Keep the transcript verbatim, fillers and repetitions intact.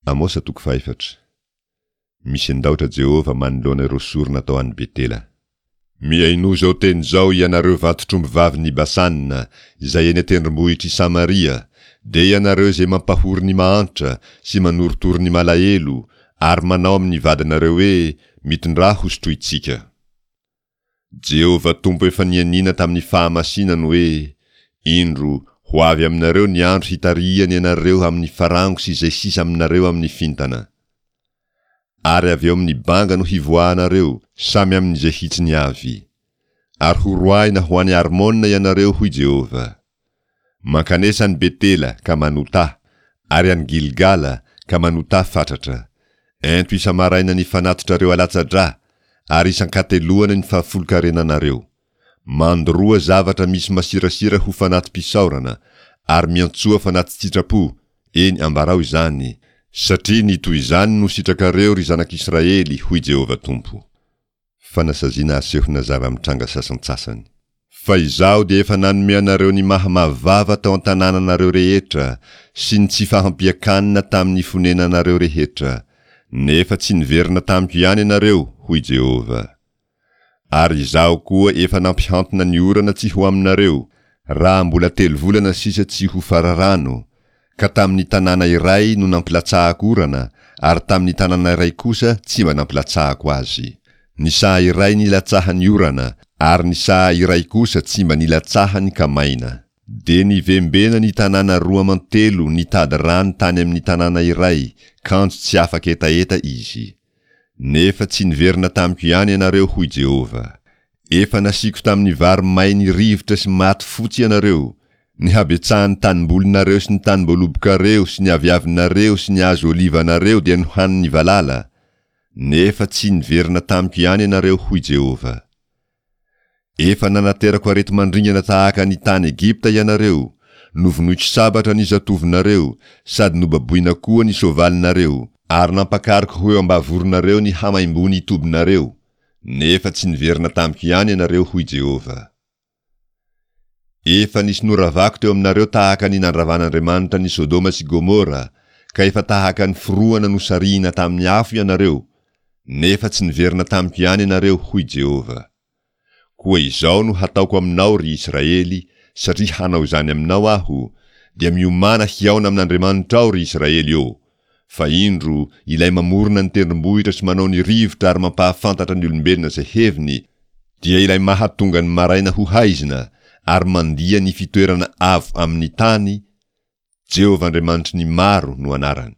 Amosa toko fahefatra. Misendaotra Jehovah manoloana ireo sorona atao any Betela. Mihainoa izao teny izao ianareo vantotr'ombivavin'i Basana, izay eny an-tendrombohitr'i Samaria, dia ianareo izay mampahory ny mahantra sy manorotoro ny malahelo ary manao amin'ny vadinareo hoe, Mitondrà hosotrointsika. Jehovah Tompo efa nianiana tamin'ny fahamasinany hoe, Indro, ho avy aminareo ny andro hitarihany anareo amin'ny farango sy izay sisa aminareo amin'ny fintana. Ary avy eo amin'ny banga no hivoahanareo, samy amin'izay hitsiny avy. Ary horoahina ho any Armona ianareo, hoy Jehovah. Mankanesa any Betela, ka manotà, ary any Gilgala, ka manotà fatratra. Ento isa-maraina ny fanatitrareo alatsa-drà, ary isan-kateloana ny fahafolonkarenanareo. Mandoroa zavatra misy masirasira ho fanati-pisaorana, ary miantsoa fanati-tsitrapo, eny, ambarao izany, satria ny toy izany no sitrakareo, ry zanak'Israely, hoy Jehovah Tompo. Fanasaziana asehona zava-mitranga sasantsasany. Fa Izaho dia efa nanome anareo ny mahamavava tao an-tanànanareo rehetra, sy ny tsy fahampian-kanina tamin'ny fonenanareo rehetra, nefa tsy niverina tamiko ihany ianareo, hoy Jehovah. Ary Izaho koa efa nampihantona ny orana tsy ho aminareo, raha mbola telo volana sisa tsy ho fararano, ka tamin'ny tanàna iray no nampilatsahako orana, ary tamin'ny tanàna iray kosa tsy mba nampilatsahako azy. Ny saha iray nilatsahan'ny orana, ary ny saha iray kosa tsy mba nilatsahany ka maina. Dia nivembena ny tanàna roa aman-telo nitady rano tany amin'ny tanàna iray, kanjo tsy afa-ketaheta izy. Nefa tsy niverina tamiko ihany ianareo, hoy Jehovah. Efa nasiako tamin'ny vary may ny rivotra sy maty fotsy ianareo, ny habetsahan'ny tanimbolinareo sy ny tanimboalobokareo sy ny aviavinareo sy ny hazo olivanareo dia nohanin'ny valala, nefa tsy niverina tamiko ihany ianareo, hoy Jehovah. Efa nanaterako areti-mandringana tahaka ny tany Egypta ianareo, novonoiko sabatra ny zatovonareo, sady nobaboina koa ny soavalinareo, ary nampakariko ho eo ambavoronareo ny hamaimbon'ny tobinareo, nefa tsy niverina tamiko ihany ianareo, hoy Jehovah. Efa nisy noravako teo aminareo tahaka ny nandravan'Andriamanitra ny Sodoma sy Gomora, ka efa tahaka ny forohana nosarihina tamin'ny afo ianareo, nefa tsy niverina tamiko ihany ianareo, hoy Jehovah. Koa izao no hataoko aminao, ry Israely, satria hanao izany aminao Aho, dia miomàna hihaona amin'Andriamanitrao, ry Israely ô! Fa indro, ilay mamorona ny tendrombohitra sy manao ny rivotra ary mampahafantatra ny olombelona izay heviny, dia ilay mahatonga ny maraina ho haizina ary mandia ny fitoerana avo amin'ny tany, Jehovah Andriamanitry ny maro no anarany.